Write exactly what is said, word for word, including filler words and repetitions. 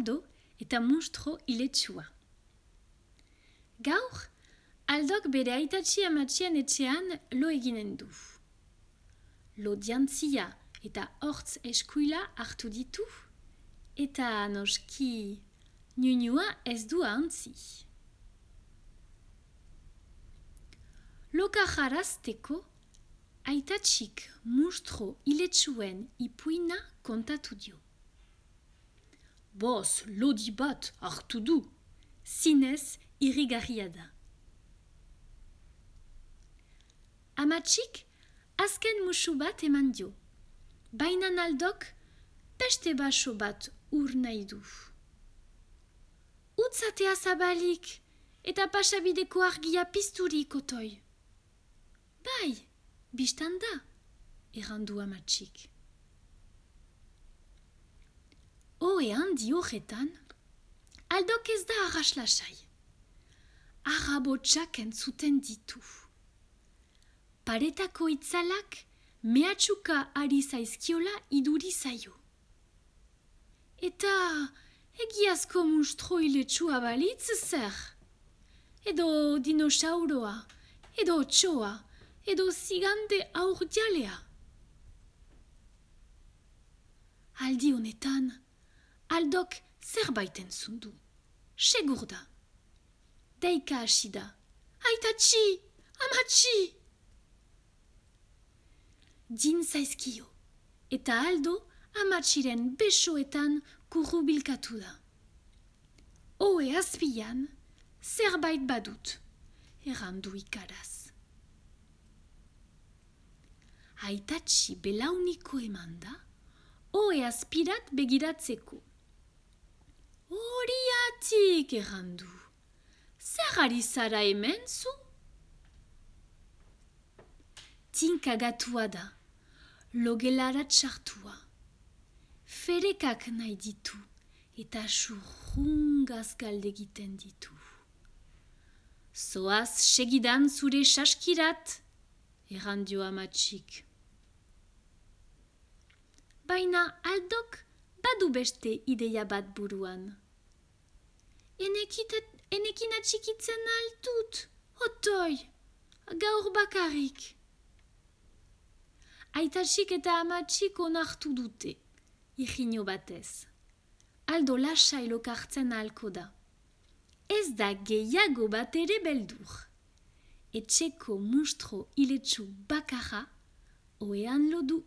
Aldo eta munstro iletsua. Gaur, Aldok bere aitatxi amatxien etxean lo eginen du. Lo diantzia eta hortz eskuila hartu ditu, eta noski nunua ez du ahantzi. Loka jarazteko, aitatxik munstro iletsuen ipuina kontatu dio. Boz, lodi bat hartu du, zinez irrigarria da. Amatxik azken musu bat eman dio, baina Aldok beste baso bat ur nahi du. Utzatea zabalik eta pasabideko argia pizturik otoi. Bai, bistan da, errandu amatxik. Oe handi horretan, Aldok ez da arraslasai. Arrabotsak entzuten ditu. Paretako itzalak mehatxuka ari zaizkiola iduri zaio. Eta egiazko munstro iletsua balitz zer? Edo dinosauroa, edo txoa, edo zigande aurdialea. Aldi honetan, Aldok zerbait entzun du. Segur da. Deika hasi da. Aitatxi, amatxi! Din zaizkio, eta Aldo amatxiren besoetan kurrubilkatu da. Oe azpian, zerbait badut, errandu ikaraz. Aitatxi belauniko eman da, oe azpirat begiratzeko. Horiatik errandu, zer ari zara hemen zu? Tinkagatua da, logelara txartua. Ferekak nahi ditu eta xurrungaz galdegiten ditu. Zoaz segidan zure saskirat, errandio amatxik. Baina Aldok badu beste ideia bat buruan. Enekitet, enekin atxikitzen altut, otoi, gaur bakarrik. Aitatxik eta amatxik onartu dute, irriño batez. Aldo lasai lokartzen ahalko da. Ez da gehiago bat ere beldur. Etxeko munstro iletsu bakarra, oean lodu.